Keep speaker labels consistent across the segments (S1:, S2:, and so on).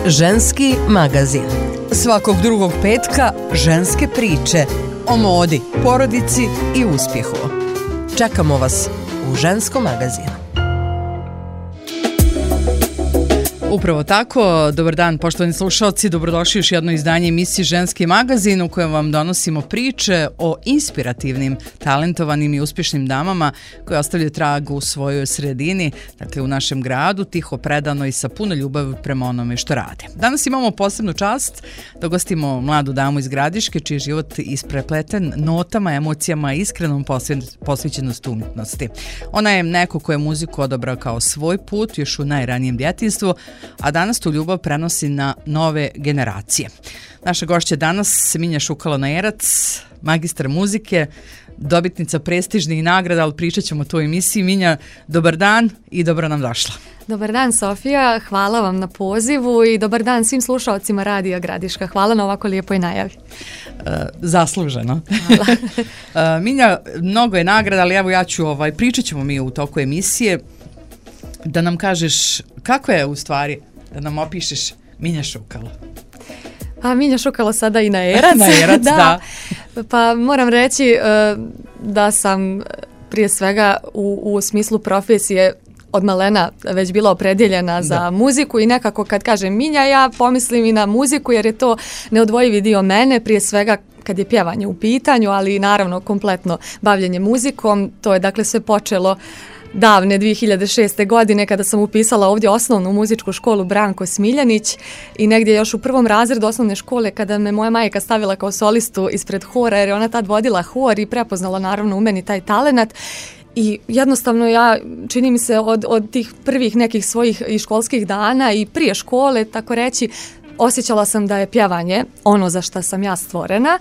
S1: Ženski magazin.
S2: Svakog drugog petka ženske priče o modi, porodici i uspjehu.
S1: Čekamo vas u Ženskom magazinu.
S2: Upravo tako, dobar dan poštovani slušalci, dobrodošli još jedno izdanje emisije Ženski magazin u kojem vam donosimo priče o inspirativnim, talentovanim i uspješnim damama koje ostavljaju trag u svojoj sredini, dakle u našem gradu, tiho, predano i sa puno ljubavi prema onome što rade. Danas imamo posebnu čast da gostimo mladu damu iz Gradiške čiji je život isprepleten notama, emocijama i iskrenom posvećenosti umjetnosti. Ona je neko ko je muziku odabrao kao svoj put još u najranijem djetinjstvu, a danas tu ljubav prenosi na nove generacije. Naša gošća danas Minja Šukalo-Najerac, magistar muzike, dobitnica prestižnih nagrada, ali pričat ćemo o toj emisiji. Minja, dobar dan i dobro nam došla.
S3: Dobar dan, Sofija, hvala vam na pozivu i dobar dan svim slušalcima Radija Gradiška. Hvala na ovako lijepoj najavi.
S2: Zasluženo.
S3: Hvala.
S2: Minja, mnogo je nagrada, ali evo ja ću, pričat ćemo mi u toku emisije da nam kažeš kako je u stvari, da nam opišeš Minja Šukalo.
S3: A Minja Šukalo sada i na Erac.
S2: Na Erac, da.
S3: Pa moram reći da sam prije svega u smislu profesije od malena već bila opredjeljena za muziku i nekako kad kažem Minja ja pomislim i na muziku jer je to neodvojivi dio mene, prije svega kad je pjevanje u pitanju, ali naravno kompletno bavljenje muzikom. To je dakle sve počelo davne 2006. godine kada sam upisala ovdje osnovnu muzičku školu Branko Smiljanić i negdje još u prvom razredu osnovne škole kada me moja majka stavila kao solistu ispred hora jer je ona tad vodila hor i prepoznala naravno u meni taj talenat. I jednostavno ja, čini mi se od tih prvih nekih svojih i školskih dana i prije škole, tako reći, osjećala sam da je pjevanje ono za što sam ja stvorena.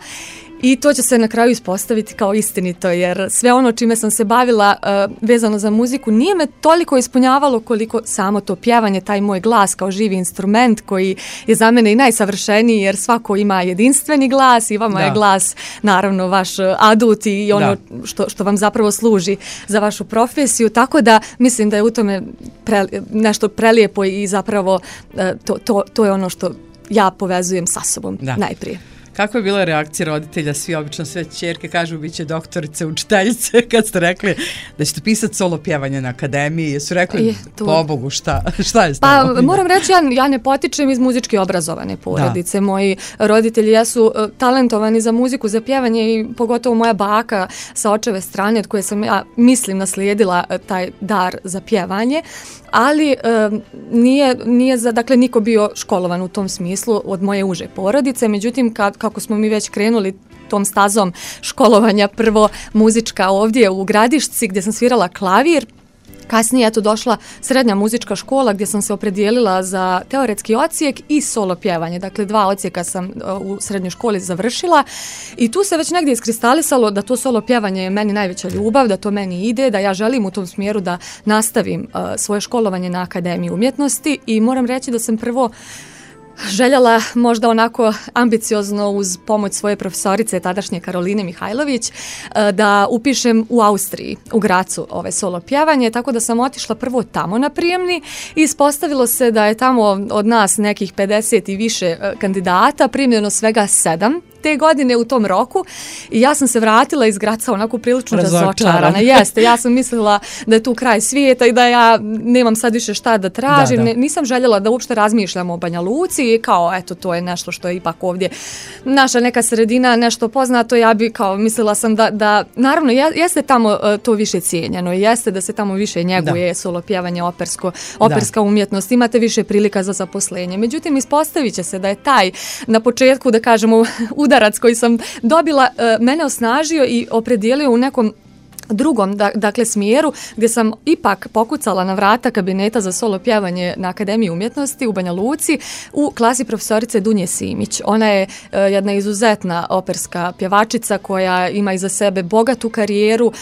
S3: I to će se na kraju ispostaviti kao istinito, jer sve ono čime sam se bavila vezano za muziku nije me toliko ispunjavalo koliko samo to pjevanje, taj moj glas kao živi instrument koji je za mene i najsavršeniji, jer svako ima jedinstveni glas i vama je glas naravno vaš adut i ono što vam zapravo služi za vašu profesiju, tako da mislim da je u tome nešto prelijepo i zapravo to je ono što ja povezujem sa sobom najprije.
S2: Kakva je bila reakcija roditelja? Svi obično sve ćerke kažu bit će doktorice, učiteljice, kad ste rekli da ćete pisati solo pjevanje na akademiji. Jesu rekli, pobogu, šta je stavno?
S3: Pa moram reći, ja ne potičem iz muzički obrazovane porodice. Moji roditelji jesu talentovani za muziku, za pjevanje i pogotovo moja baka sa očeve strane od koje sam ja mislim naslijedila taj dar za pjevanje. Ali nije dakle niko bio školovan u tom smislu od moje uže porodice, međutim kako smo mi već krenuli tom stazom školovanja, prvo muzička ovdje u Gradišci gdje sam svirala klavir, kasnije je došla srednja muzička škola gdje sam se opredijelila za teoretski odsjek i solo pjevanje. Dakle, 2 odsjeka sam u srednjoj školi završila i tu se već negdje iskristalisalo da to solo pjevanje je meni najveća ljubav, da to meni ide, da ja želim u tom smjeru da nastavim svoje školovanje na Akademiji umjetnosti i moram reći da sam prvo željela možda onako ambiciozno uz pomoć svoje profesorice tadašnje Karoline Mihajlović da upišem u Austriji, u Gracu solo pjevanje, tako da sam otišla prvo tamo na prijemni i ispostavilo se da je tamo od nas nekih 50 i više kandidata, primljeno svega 7 te godine u tom roku i ja sam se vratila iz Graca onako prilično razočarana. Jeste, ja sam mislila da je tu kraj svijeta i da ja nemam sad više šta da tražim. Nisam željela da uopšte razmišljam o Banja Luci i kao eto to je nešto što je ipak ovdje naša neka sredina, nešto poznato. Ja bi kao mislila sam da naravno jeste tamo to više cijenjeno i jeste da se tamo više njeguje solo pjevanje, operska umjetnost, imate više prilika za zaposlenje. Međutim, ispostavit će se da je taj na početku, da kažemo, udarac koji sam dobila mene osnažio i opredijelio u nekom drugom, dakle, smjeru gdje sam ipak pokucala na vrata kabineta za solo pjevanje na Akademiji umjetnosti u Banja Luci u klasi profesorice Dunje Simić. Ona je jedna izuzetna operska pjevačica koja ima iza sebe bogatu karijeru,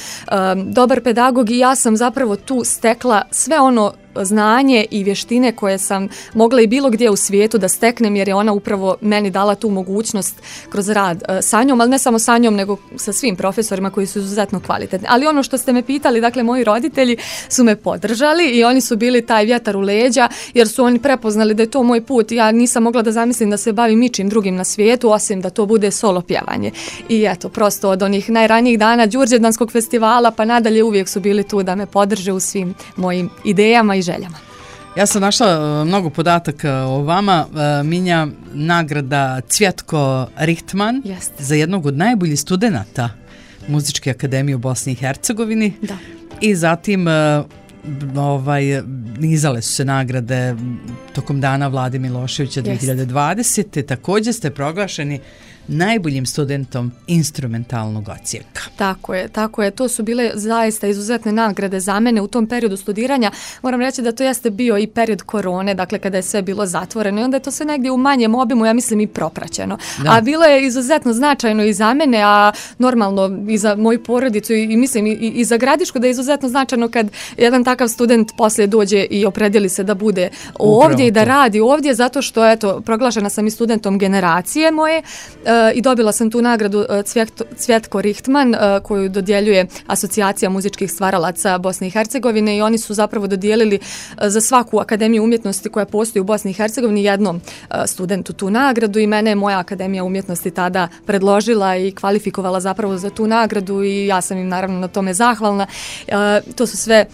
S3: dobar pedagog i ja sam zapravo tu stekla sve ono znanje i vještine koje sam mogla i bilo gdje u svijetu da steknem, jer je ona upravo meni dala tu mogućnost kroz rad sa njom, ali ne samo sa njom, nego sa svim profesorima koji su izuzetno kvalitetni. Ali ono što ste me pitali, dakle, moji roditelji su me podržali i oni su bili taj vjetar u leđa, jer su oni prepoznali da je to moj put. Ja nisam mogla da zamislim da se bavim ničim drugim na svijetu, osim da to bude solo pjevanje. I eto, prosto od onih najranijih dana Đurđevdanskog festivala pa nadalje uvijek su bili tu da me podrže u svim mojim idejama i željama.
S2: Ja sam našla mnogo podataka o vama. Minja, nagrada Cvjetko Richtman za jednog od najboljih studenata Muzičke akademije u Bosni i Hercegovini.
S3: Da.
S2: I zatim nizale su se nagrade tokom dana Vlade Miloševića 2020. Također ste proglašeni najboljim studentom instrumentalnog odsjeka.
S3: Tako je. To su bile zaista izuzetne nagrade za mene u tom periodu studiranja. Moram reći da to jeste bio i period korone, dakle kada je sve bilo zatvoreno i onda je to sve negdje u manjem obimu, ja mislim, i propraćeno. Da. A bilo je izuzetno značajno i za mene, a normalno i za moju porodicu i mislim i za Gradišku, da je izuzetno značajno kad jedan takav student poslije dođe i opredjeli se da bude ovdje i da radi ovdje, zato što, eto, proglašena sam i studentom generacije moje, i dobila sam tu nagradu Cvjetko Richtman koju dodjeljuje Asocijacija muzičkih stvaralaca Bosne i Hercegovine i oni su zapravo dodijelili za svaku akademiju umjetnosti koja postoji u Bosni i Hercegovini jednom studentu tu nagradu i mene je moja akademija umjetnosti tada predložila i kvalifikovala zapravo za tu nagradu i ja sam im naravno na tome zahvalna. To su sve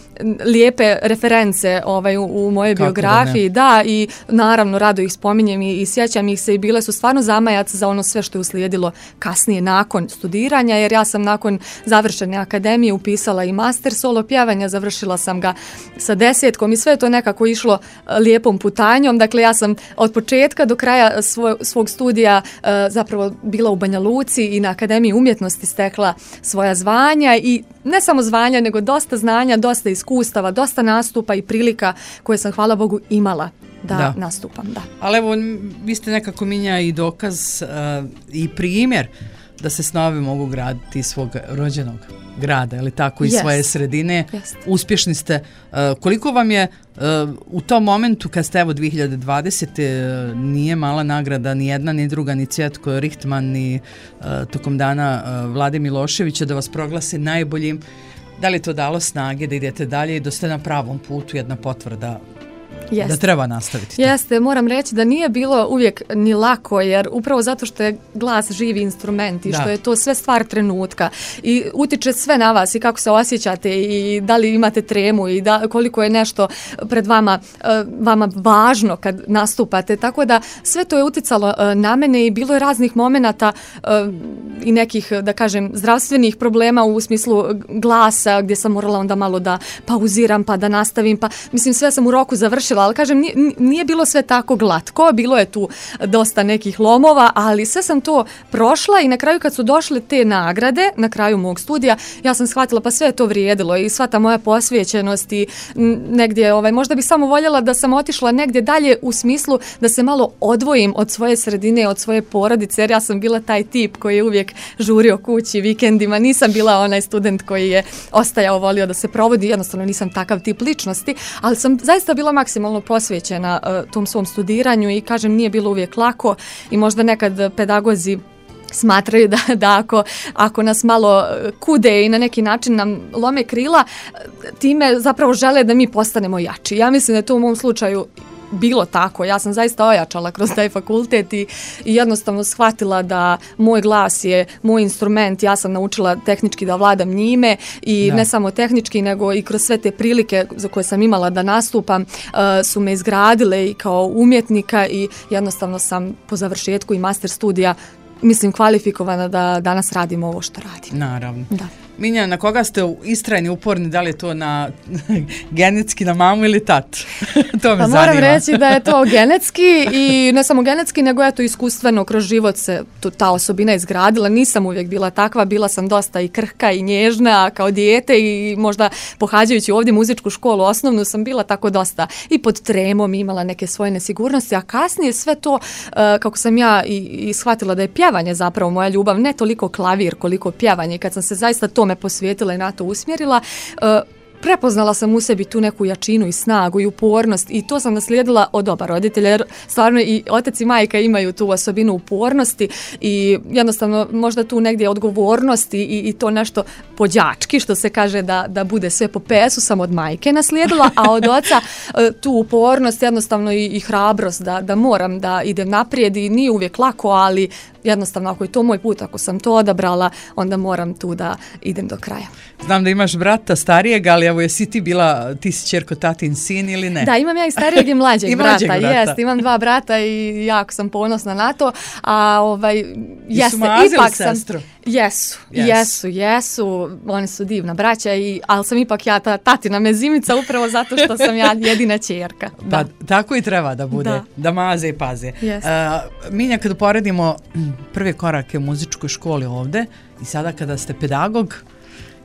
S3: lijepe reference u mojoj biografiji, da, i naravno rado ih spominjem i sjećam ih se i bile su stvarno zamajac za ono sve što je uslijedilo kasnije nakon studiranja, jer ja sam nakon završene akademije upisala i master solo pjevanja, završila sam ga sa 10 i sve je to nekako išlo lijepom putanjom. Dakle, ja sam od početka do kraja svog studija zapravo bila u Banja Luci i na Akademiji umjetnosti stekla svoja zvanja i ne samo zvanja, nego dosta znanja, dosta iskustava, dosta nastupa i prilika koje sam, hvala Bogu, imala da nastupam. Da.
S2: Ali evo, vi ste nekako, Minja, i dokaz i primjer da se snovi mogu graditi iz svog rođenog grada, ili tako, iz svoje sredine. Uspješni ste. Koliko vam je u tom momentu kad ste, evo, 2020. Nije mala nagrada, ni jedna, ni druga, ni Cvjetko Richtman, ni tokom dana Vlade Miloševića da vas proglase najboljim. Da li to dalo snage da idete dalje i da ste na pravom putu, jedna potvrda da treba nastaviti?
S3: Jeste, moram reći da nije bilo uvijek ni lako, jer upravo zato što je glas živi instrument i što je to sve stvar trenutka i utiče sve na vas i kako se osjećate i da li imate tremu i koliko je nešto pred vama važno kad nastupate, tako da sve to je uticalo na mene i bilo je raznih momenata i nekih, da kažem, zdravstvenih problema u smislu glasa, gdje sam morala onda malo da pauziram pa da nastavim, pa mislim sve sam u roku završila, ali kažem, nije bilo sve tako glatko, bilo je tu dosta nekih lomova, ali sve sam to prošla i na kraju kad su došle te nagrade, na kraju mog studija, ja sam shvatila pa sve je to vrijedilo i sva ta moja posvećenost i negdje, možda bih samo voljela da sam otišla negdje dalje u smislu da se malo odvojim od svoje sredine, od svoje porodice, jer ja sam bila taj tip koji je uvijek žurio kući vikendima, nisam bila onaj student koji je ostajao, volio da se provodi, jednostavno nisam takav tip ličnosti, ali sam zaista bila maksimalno posvećena tom svom studiranju i kažem, nije bilo uvijek lako i možda nekad pedagozi smatraju da ako nas malo kude i na neki način nam lome krila, time zapravo žele da mi postanemo jači. Ja mislim da je to u mom slučaju bilo tako. Ja sam zaista ojačala kroz taj fakultet i jednostavno shvatila da moj glas je moj instrument. Ja sam naučila tehnički da vladam njime i ne samo tehnički, nego i kroz sve te prilike za koje sam imala da nastupam su me izgradile i kao umjetnika i jednostavno sam po završetku i master studija, mislim, kvalifikovana da danas radimo ovo što radim.
S2: Naravno. Da. Minja, na koga ste istrajni, uporni, da li je to genetski na mamu ili tat? To me zanima.
S3: Moram reći da je to genetski i ne samo genetski, nego je to iskustveno kroz život se ta osobina izgradila. Nisam uvijek bila takva, bila sam dosta i krhka i nježna kao dijete i možda pohađajući ovdje muzičku školu osnovnu sam bila tako dosta i pod tremom, imala neke svoje nesigurnosti, a kasnije sve to, kako sam ja i shvatila da je pjevanje zapravo moja ljubav, ne toliko klavir koliko pjevanje, kad sam se zaista tome posvetila i na to usmjerila, prepoznala sam u sebi tu neku jačinu i snagu i upornost i to sam naslijedila od oba roditelja, jer stvarno i otac i majka imaju tu osobinu upornosti i jednostavno možda tu negdje odgovornosti i to nešto pođački, što se kaže da bude sve po pesu, sam od majke naslijedila, a od oca tu upornost, jednostavno i hrabrost da moram da idem naprijed i nije uvijek lako, ali jednostavno ako je to moj put, ako sam to odabrala, onda moram tu da idem do kraja.
S2: Znam da imaš brata starijeg, ali evo jesi ti si ćerko tatin sin ili ne?
S3: Da, imam ja i starijeg i mlađeg brata. Jest, imam 2 brata i jako sam ponosna na to. A
S2: jeste, ipak sestru?
S3: Jesu. Oni su divna braća, ali sam ipak ja ta tatina mezimica upravo zato što sam ja jedina ćerka.
S2: Da. Pa tako i treba da bude, da maze i paze. Minja, kada poredimo prve korake u muzičkoj školi ovde i sada kada ste pedagog,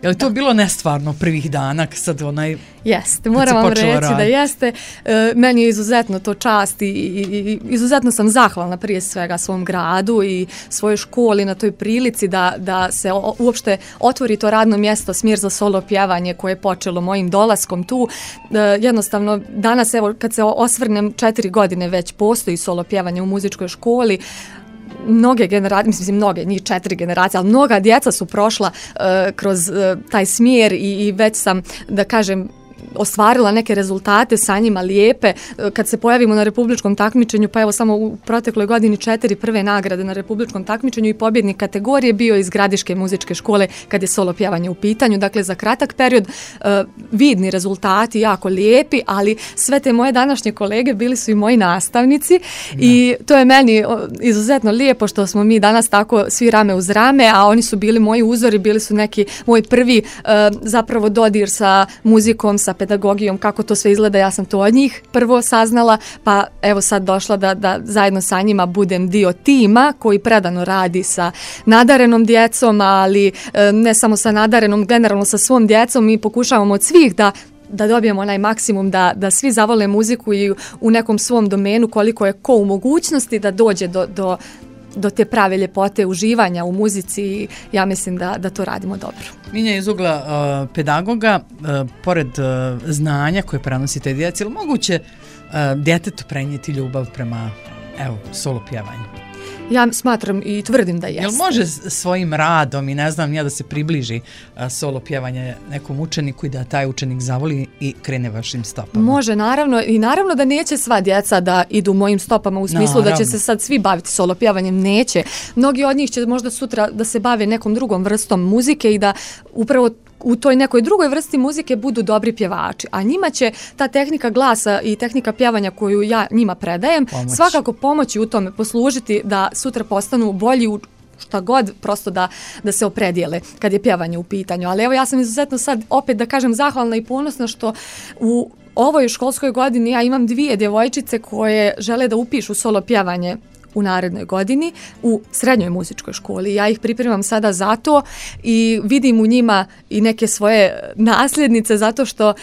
S2: je li to bilo nestvarno prvih dana sad
S3: Jeste, moram vam reći da jeste. Meni je izuzetno to čast i izuzetno sam zahvalna prije svega svom gradu i svojoj školi na toj prilici da se uopšte otvori to radno mjesto, smjer za solo pjevanje koje je počelo mojim dolaskom tu. Jednostavno, danas evo kad se osvrnem 4 godine već postoji solo pjevanje u muzičkoj školi. Mnoge generacije, njih 4 generacije, ali mnoga djeca su prošla kroz taj smjer i već sam, da kažem, ostvarila neke rezultate sa njima lijepe. Kad se pojavimo na republičkom takmičenju, pa evo samo u protekloj godini 4 prve nagrade na republičkom takmičenju i pobjednik kategorije bio iz Gradiške muzičke škole kad je solo pjevanje u pitanju. Dakle, za kratak period vidni rezultati, jako lijepi, ali sve te moje današnje kolege bili su i moji nastavnici i to je meni izuzetno lijepo što smo mi danas tako svi rame uz rame, a oni su bili moji uzori, bili su neki moj prvi zapravo dodir sa muzikom, sa pedagogijom, kako to sve izgleda, ja sam to od njih prvo saznala, pa evo sad došla da zajedno sa njima budem dio tima koji predano radi sa nadarenom djecom, ali ne samo sa nadarenom, generalno sa svom djecom. Mi pokušavamo od svih da dobijemo onaj maksimum, da svi zavole muziku i u nekom svom domenu koliko je ko u mogućnosti da dođe do te prave ljepote uživanja u muzici i ja mislim da to radimo dobro.
S2: Minja, iz ugla pedagoga, pored znanja koje prenosite djeci, ili moguće djetetu prenijeti ljubav prema solo pjevanju?
S3: Ja smatram i tvrdim da jeste.
S2: Jel može svojim radom i ne znam ja da se približi solo pjevanje nekom učeniku i da taj učenik zavoli i krene vašim stopama?
S3: Može, naravno. I naravno da neće sva djeca da idu mojim stopama u smislu da će se sad svi baviti solo pjevanjem. Neće. Mnogi od njih će možda sutra da se bave nekom drugom vrstom muzike i da upravo u toj nekoj drugoj vrsti muzike budu dobri pjevači, a njima će ta tehnika glasa i tehnika pjevanja koju ja njima predajem svakako pomoći u tome, poslužiti da sutra postanu bolji u šta god, prosto da se opredijele kad je pjevanje u pitanju. Ali evo ja sam izuzetno sad opet da kažem zahvalna i ponosna što u ovoj školskoj godini ja imam 2 djevojčice koje žele da upišu solo pjevanje u narednoj godini u srednjoj muzičkoj školi. Ja ih pripremam sada za to i vidim u njima i neke svoje nasljednice zato što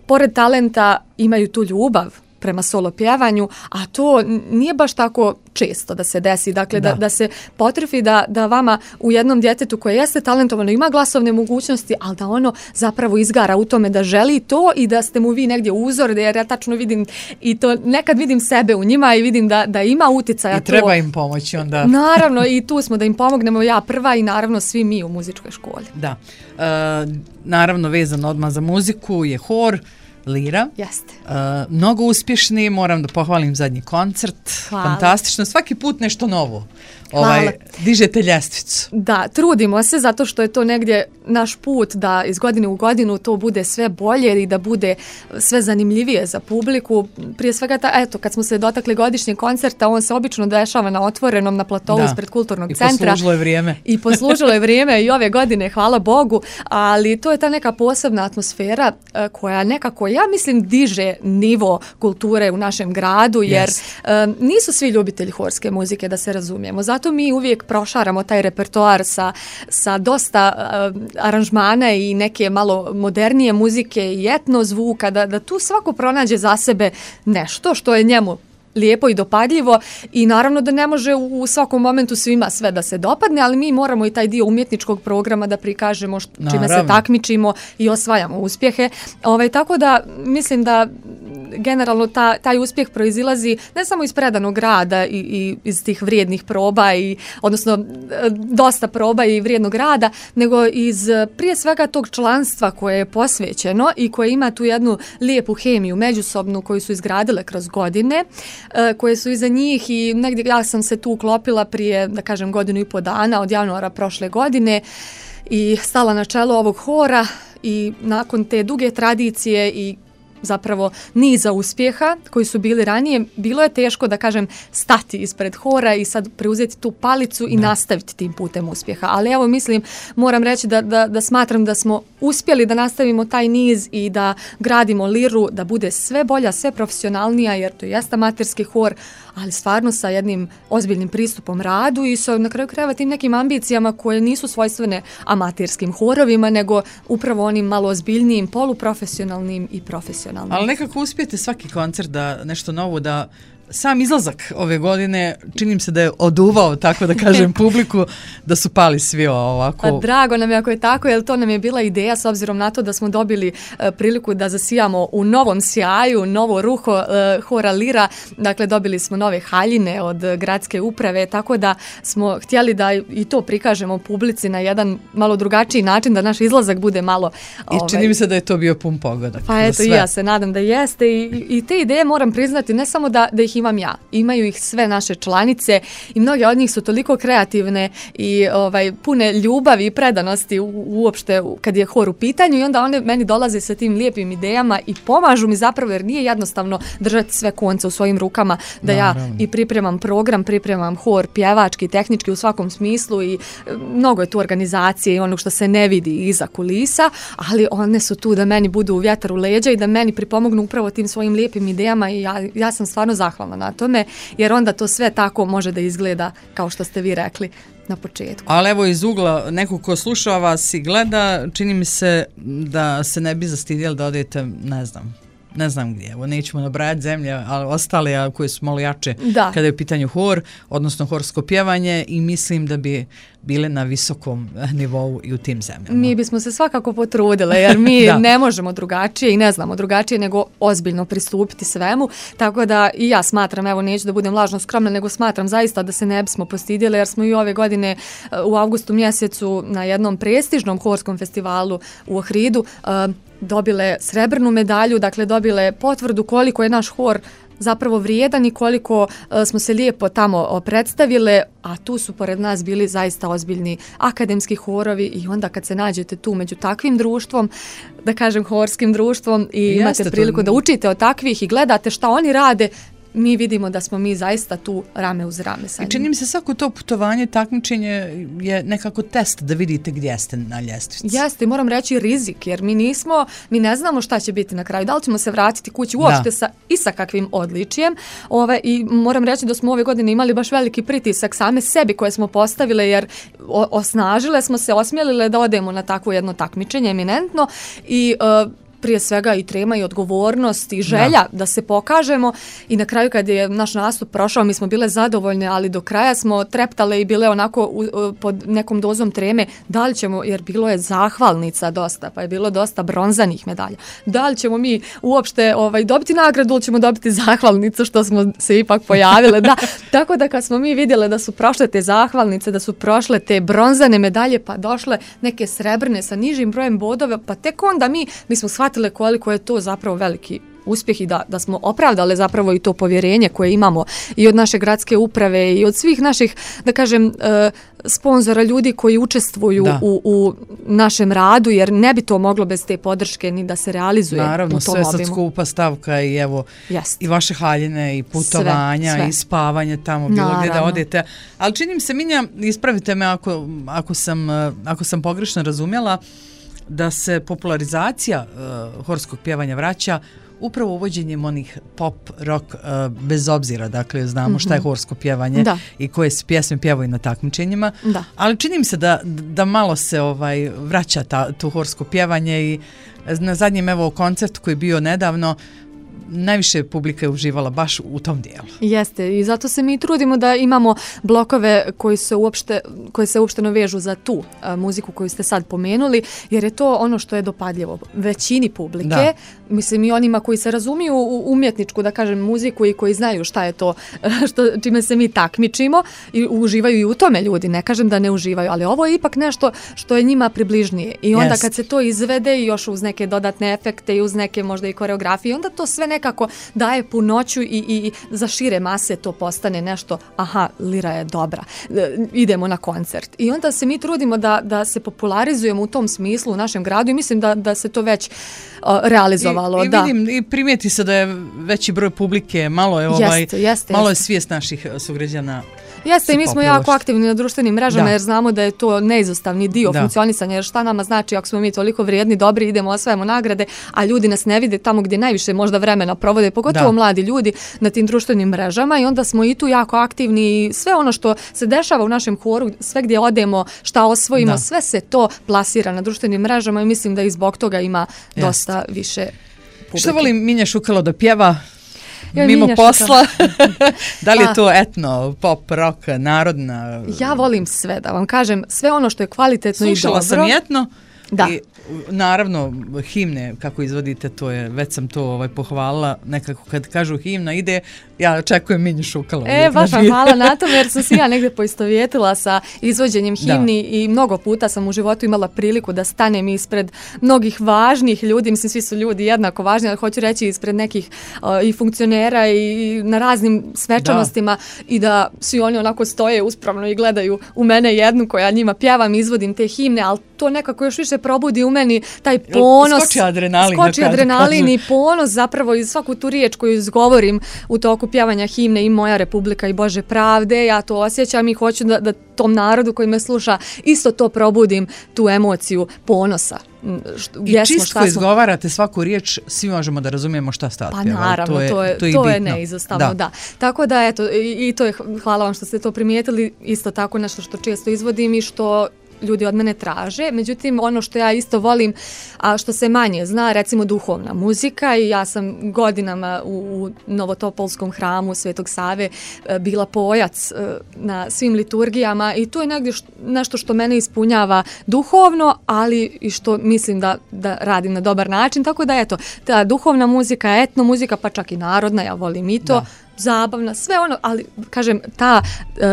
S3: pored talenta imaju tu ljubav prema solo pjevanju, a to nije baš tako često da se desi. Dakle, da se potrefi da vama u jednom djetetu koje jeste talentovano, ima glasovne mogućnosti, ali da ono zapravo izgara u tome da želi to i da ste mu vi negdje uzor, jer ja tačno vidim i to nekad vidim sebe u njima i vidim da ima uticaja.
S2: I treba im pomoći onda.
S3: Naravno, i tu smo da im pomognemo, ja prva i naravno svi mi u muzičkoj školi.
S2: Da. Naravno, vezano odmah za muziku je hor, Lira.
S3: Jeste.
S2: Mnogo uspješni, moram da pohvalim zadnji koncert.
S3: Hvala.
S2: Fantastično, svaki put nešto novo.
S3: Hvala.
S2: Dižete ljestvicu.
S3: Da, trudimo se zato što je to negdje naš put da iz godine u godinu to bude sve bolje i da bude sve zanimljivije za publiku. Prije svega, kad smo se dotakli godišnjeg koncerta, on se obično dešava na otvorenom, na platovu ispred kulturnog centra.
S2: I poslužilo je vrijeme.
S3: I poslužilo je vrijeme i ove godine, hvala Bogu, ali to je ta neka posebna atmosfera koja nekako, ja mislim, diže nivo kulture u našem gradu, jer nisu svi ljubitelji horske muzike, da se razumijemo. Zato mi uvijek prošaramo taj repertoar sa dosta aranžmana i neke malo modernije muzike i etno zvuka, da tu svako pronađe za sebe nešto što je njemu lijepo i dopadljivo i naravno da ne može u svakom momentu svima sve da se dopadne, ali mi moramo i taj dio umjetničkog programa da prikažemo čime se takmičimo i osvajamo uspjehe. Tako da mislim da generalno taj uspjeh proizilazi ne samo iz predanog rada i iz tih vrijednih proba, odnosno dosta proba i vrijednog rada, nego iz prije svega tog članstva koje je posvećeno i koje ima tu jednu lijepu hemiju međusobnu koju su izgradile kroz godine, koje su iza njih i negdje ja sam se tu uklopila prije, da kažem, 1.5 dana od januara prošle godine i stala na čelo ovog hora i nakon te duge tradicije i zapravo niza uspjeha koji su bili ranije, bilo je teško, da kažem, stati ispred hora i sad preuzeti tu palicu i nastaviti tim putem uspjeha. Ali evo, mislim, moram reći da smatram da smo uspjeli da nastavimo taj niz i da gradimo liru, da bude sve bolja, sve profesionalnija, jer to jeste amaterski hor, ali stvarno sa jednim ozbiljnim pristupom radu i sa na kraju krajeva tim nekim ambicijama koje nisu svojstvene amaterskim horovima, nego upravo onim malo ozbiljnijim, poluprofesionalnim i profesionalnim.
S2: Ali nekako uspijete svaki koncert da nešto novo, da sam izlazak ove godine činim se da je oduvao, tako da kažem, publiku, da su pali svi ovako.
S3: Pa drago nam je ako je tako, jer to nam je bila ideja s obzirom na to da smo dobili priliku da zasijamo u novom sjaju, novo ruho hora Lira, dakle dobili smo nove haljine od gradske uprave, tako da smo htjeli da i to prikažemo publici na jedan malo drugačiji način, da naš izlazak bude malo...
S2: I čini mi se da je to bio pun pogodak.
S3: Pa eto, i ja se nadam da jeste i te ideje moram priznati, ne samo da ih imam ja. Imaju ih sve naše članice i mnoge od njih su toliko kreativne i pune ljubavi i predanosti uopšte kad je hor u pitanju i onda one meni dolaze sa tim lijepim idejama i pomažu mi zapravo, jer nije jednostavno držati sve konce u svojim rukama, da ja i pripremam program, pripremam hor pjevački, tehnički u svakom smislu i mnogo je tu organizacije i onog što se ne vidi iza kulisa, ali one su tu da meni budu u vjetar u leđa i da meni pripomognu upravo tim svojim lijepim idejama i ja sam stvarno zahvalna na tome, jer onda to sve tako može da izgleda kao što ste vi rekli na početku.
S2: Ali evo iz ugla nekog ko sluša vas i gleda, čini mi se da se ne bi zastidjeli da odete, ne znam gdje, evo nećemo nabrajati zemlje, ali ostale koje su malo jače kada je u pitanju hor, odnosno horsko pjevanje i mislim da bi bile na visokom nivou i u tim zemljama.
S3: Mi bismo se svakako potrudile, jer mi ne možemo drugačije i ne znamo drugačije nego ozbiljno pristupiti svemu, tako da i ja smatram, evo neću da budem lažno skromna, nego smatram zaista da se ne bismo postidjeli, jer smo i ove godine u avgustu mjesecu na jednom prestižnom horskom festivalu u Ohridu dobile srebrnu medalju, dakle dobile potvrdu koliko je naš hor zapravo vrijedan i koliko smo se lijepo tamo predstavile, a tu su pored nas bili zaista ozbiljni akademski horovi i onda kad se nađete tu među takvim društvom, da kažem horskim društvom i imate priliku da učite od takvih i gledate šta oni rade, mi vidimo da smo mi zaista tu rame uz rame sa njim.
S2: I čini mi se svako to putovanje, takmičenje je nekako test da vidite gdje ste na ljestvici.
S3: Jeste, i moram reći rizik, jer mi ne znamo šta će biti na kraju. Da li ćemo se vratiti kući uopšte sa kakvim odličijem. I moram reći da smo ove godine imali baš veliki pritisak same sebi koje smo postavile, jer osnažile smo se, osmjelile da odemo na takvo jedno takmičenje eminentno i prije svega i trema i odgovornost i želja da se pokažemo i na kraju kad je naš nastup prošao mi smo bile zadovoljne, ali do kraja smo treptale i bile onako pod nekom dozom treme da li ćemo, jer bilo je zahvalnica dosta, pa je bilo dosta bronzanih medalja. Da li ćemo mi uopšte dobiti nagradu ili ćemo dobiti zahvalnicu što smo se ipak pojavile. Tako da kad smo mi vidjele da su prošle te zahvalnice, da su prošle te bronzane medalje pa došle neke srebrne sa nižim brojem bodova, pa tek onda mi smo shvatile koliko je to zapravo veliki uspjeh i da smo opravdali zapravo i to povjerenje koje imamo i od naše gradske uprave i od svih naših, da kažem, sponzora, ljudi koji učestvuju u našem radu, jer ne bi to moglo bez te podrške ni da se realizuje.
S2: Naravno,
S3: u tom
S2: sve
S3: obimu.
S2: sad skupa stavka i evo i vaše haljine i putovanja sve. I spavanje tamo bilo gdje da odete. Ali čini mi se, Minja, ispravite me ako sam pogrešno razumjela, da se popularizacija horskog pjevanja vraća upravo uvođenjem onih pop, rock, bez obzira, dakle znamo šta je horsko pjevanje i koje se pjesme pjevaju na takmičenjima, ali čini mi se da malo se vraća to horsko pjevanje i na zadnjem koncertu koji je bio nedavno, najviše publika je uživala baš u tom dijelu.
S3: Jeste, i zato se mi trudimo da imamo blokove koji se uopšteno vežu za tu muziku koju ste sad pomenuli, jer je to ono što je dopadljivo većini publike, mislim i onima koji se razumiju u umjetničku, da kažem, muziku i koji znaju šta je to čime se mi takmičimo i uživaju i u tome ljudi, ne kažem da ne uživaju, ali ovo je ipak nešto što je njima približnije i onda kad se to izvede i još uz neke dodatne efekte i uz neke možda i koreografije, onda to sve nekako daje punoću i za šire mase to postane nešto, aha, lira je dobra, idemo na koncert. I onda se mi trudimo da se popularizujemo u tom smislu u našem gradu i mislim da se to već realizovalo.
S2: I vidim, i primijeti se da je veći broj publike, malo je malo je svijest naših sugrađana.
S3: Jeste, i mi smo jako aktivni na društvenim mrežama jer znamo da je to neizostavni dio funkcionisanja, jer šta nama znači ako smo mi toliko vrijedni, dobri, idemo, osvajamo nagrade, a ljudi nas ne vide tamo gdje najviše možda vremena provode, pogotovo mladi ljudi na tim društvenim mrežama i onda smo i tu jako aktivni i sve ono što se dešava u našem horu, sve gdje odemo, šta osvojimo, sve se to plasira na društvenim mrežama i mislim da i zbog toga ima dosta više publike.
S2: Što voli Minja Šukalo da pjeva? Mimo posla, da li je to etno, pop, rock, narodna?
S3: Ja volim sve, da vam kažem, sve ono što je kvalitetno i dobro.
S2: Slušala sam etno i naravno himne kako izvodite, to je, već sam to pohvalila, nekako kad kažu himna ide, ja očekujem Minju Šukalo.
S3: Baš vam hvala na tome jer sam se ja negdje poistovjetila sa izvođenjem himni i mnogo puta sam u životu imala priliku da stanem ispred mnogih važnih ljudi, mislim svi su ljudi jednako važni, ali hoću reći ispred nekih i funkcionera i na raznim svečanostima i da svi oni onako stoje uspravno i gledaju u mene jednu koja njima pjevam, izvodim te himne, ali to nekako još više probudi u meni taj ponos. Skoči adrenalin i ponos zapravo iz svaku tu riječ koju izgovorim u toku pjevanja himne i Moja Republika i Bože pravde, ja to osjećam i hoću da tom narodu koji me sluša isto to probudim, tu emociju ponosa.
S2: I čisto izgovarate svaku riječ, svi možemo da razumijemo šta ste otpjevali.
S3: Pa naravno, to je neizostavno, da. Tako da, eto, i to je, hvala vam što ste to primijetili, isto tako nešto što često izvodim i što ljudi od mene traže, međutim ono što ja isto volim, a što se manje zna, recimo duhovna muzika i ja sam godinama u Novotopolskom hramu Svetog Save bila pojac na svim liturgijama i to je negdje nešto što mene ispunjava duhovno, ali i što mislim da radim na dobar način, tako da eto, ta duhovna muzika, etno muzika, pa čak i narodna, ja volim i to, zabavna, sve ono, ali kažem, ta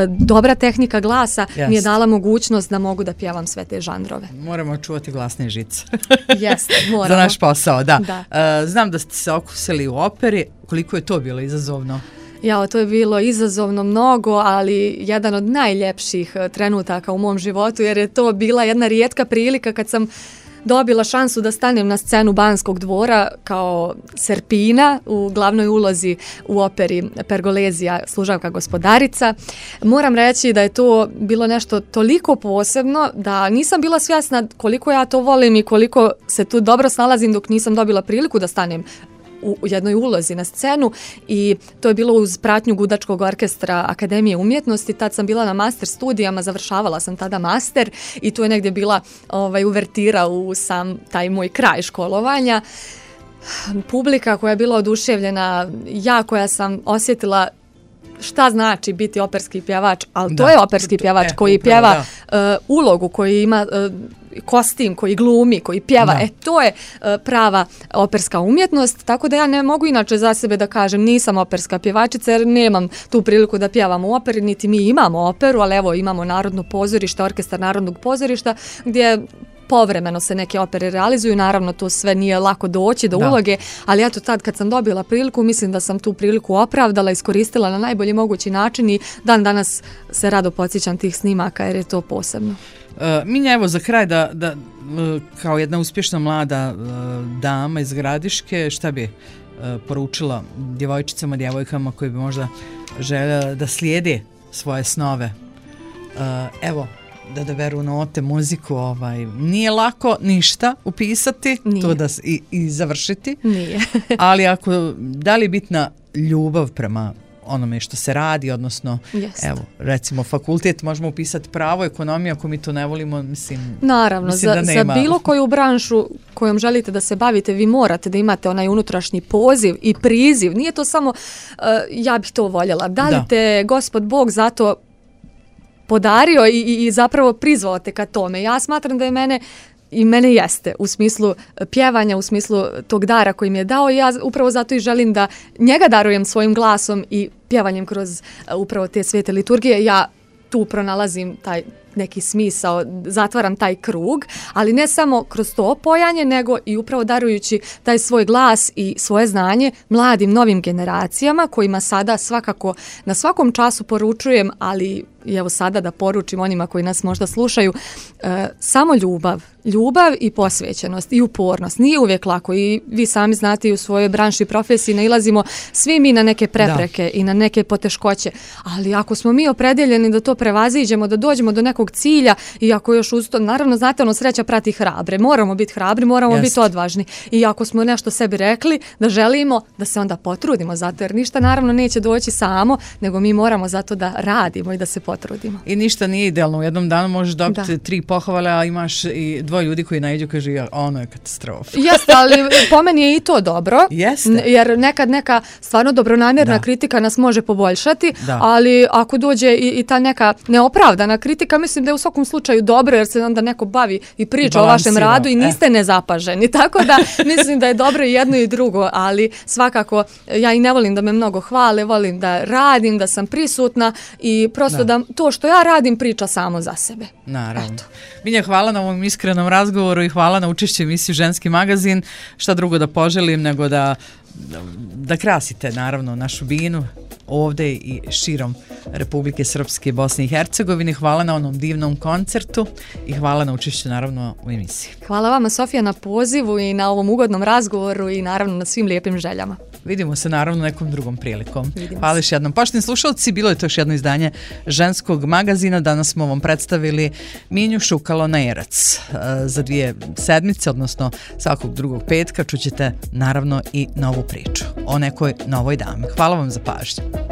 S3: dobra tehnika glasa mi je dala mogućnost da mogu da pjevam sve te žanrove.
S2: Moramo čuvati glasne žice.
S3: Jeste, moramo.
S2: Za naš posao, da. Znam da ste se okusili u operi, koliko je to bilo izazovno?
S3: To je bilo izazovno mnogo, ali jedan od najljepših trenutaka u mom životu, jer je to bila jedna rijetka prilika kad sam dobila šansu da stanem na scenu Banskog dvora kao Serpina u glavnoj ulozi u operi Pergolezija, služavka gospodarica. Moram reći da je to bilo nešto toliko posebno da nisam bila svjesna koliko ja to volim i koliko se tu dobro snalazim dok nisam dobila priliku da stanem u jednoj ulozi na scenu i to je bilo uz pratnju Gudačkog orkestra Akademije umjetnosti. Tad sam bila na master studijama, završavala sam tada master i tu je negdje bila uvertira u sam taj moj kraj školovanja. Publika koja je bila oduševljena, ja koja sam osjetila šta znači biti operski pjevač, ali to je operski pjevač koji pjeva ulogu, koji ima kostim, koji glumi, koji pjeva. To je prava operska umjetnost, tako da ja ne mogu inače za sebe da kažem nisam operska pjevačica jer nemam tu priliku da pjevam u operi, niti mi imamo operu, ali evo imamo Narodno pozorište, orkestar Narodnog pozorišta gdje povremeno se neke opere realizuju, naravno to sve nije lako doći do uloge, ali eto tad kad sam dobila priliku, mislim da sam tu priliku opravdala, iskoristila na najbolji mogući način i dan danas se rado podsjećam tih snimaka jer je to posebno.
S2: Minja, evo za kraj da kao jedna uspješna mlada dama iz Gradiške, šta bi poručila djevojčicama, djevojkama koji bi možda željela da slijede svoje snove? Evo, da odaberu note, muziku, nije lako ništa upisati, to da i završiti.
S3: Nije.
S2: Ali da li je bitna ljubav prema onome što se radi, odnosno evo, recimo fakultet možemo upisati pravo, ekonomiju, ako mi to ne volimo,
S3: naravno,
S2: mislim da
S3: za bilo koju branšu kojom želite da se bavite, vi morate da imate onaj unutrašnji poziv i priziv. Nije to samo ja bih to voljela. Da li te Gospod Bog zato podario i zapravo prizvao te ka tome? Ja smatram da je mene jeste u smislu pjevanja, u smislu tog dara koji mi je dao i ja upravo zato i želim da njega darujem svojim glasom i pjevanjem kroz upravo te svete liturgije. Ja tu pronalazim taj neki smisao, zatvaram taj krug, ali ne samo kroz to pojanje, nego i upravo darujući taj svoj glas i svoje znanje mladim novim generacijama kojima sada svakako na svakom času poručujem, ali i evo sada da poručim onima koji nas možda slušaju, samo ljubav i posvećenost i upornost. Nije uvijek lako i vi sami znate i u svojoj branši i profesiji nailazimo svi mi na neke prepreke i na neke poteškoće, ali ako smo mi opredjeljeni da to prevaziđemo, da dođemo do nekog cilja i ako još uz to, naravno znate sreća prati hrabre, moramo biti hrabri, moramo biti odvažni i ako smo nešto sebi rekli da želimo, da se onda potrudimo zato jer ništa naravno neće doći samo, nego mi moramo zato da radimo i da se potrudimo.
S2: I ništa nije idealno. U jednom danu možeš dobiti 3 pohvale, a imaš i 2 ljudi koji naiđu kaže ono je katastrofa.
S3: Jeste, ali po meni je i to dobro.
S2: Jeste.
S3: Jer nekad neka stvarno dobronamjerna kritika nas može poboljšati, ali ako dođe i ta neka neopravdana kritika, mislim da je u svakom slučaju dobro jer se onda neko bavi i priča o vašem radu i niste nezapaženi. Tako da mislim da je dobro i jedno i drugo, ali svakako ja i ne volim da me mnogo hvale, volim da radim, da sam prisutna i prosto da to što ja radim priča samo za sebe.
S2: Naravno. Milja, hvala na ovom iskrenom razgovoru i hvala na učešću u emisiji Ženski magazin. Šta drugo da poželim nego da krasite naravno našu Binu ovdje i širom Republike Srpske i Bosne i Hercegovine. Hvala na onom divnom koncertu i hvala na učešću naravno u emisiji.
S3: Hvala vama Sofija na pozivu i na ovom ugodnom razgovoru i naravno na svim lijepim željama.
S2: Vidimo se naravno nekom drugom prilikom. Hvala još jednom. Poštovani slušalci, bilo je to još jedno izdanje Ženskog magazina. Danas smo vam predstavili Minju Šukalo-Najerac. Za 2 sedmice, odnosno svakog drugog petka, čućete naravno i novu priču o nekoj novoj dami. Hvala vam za pažnju.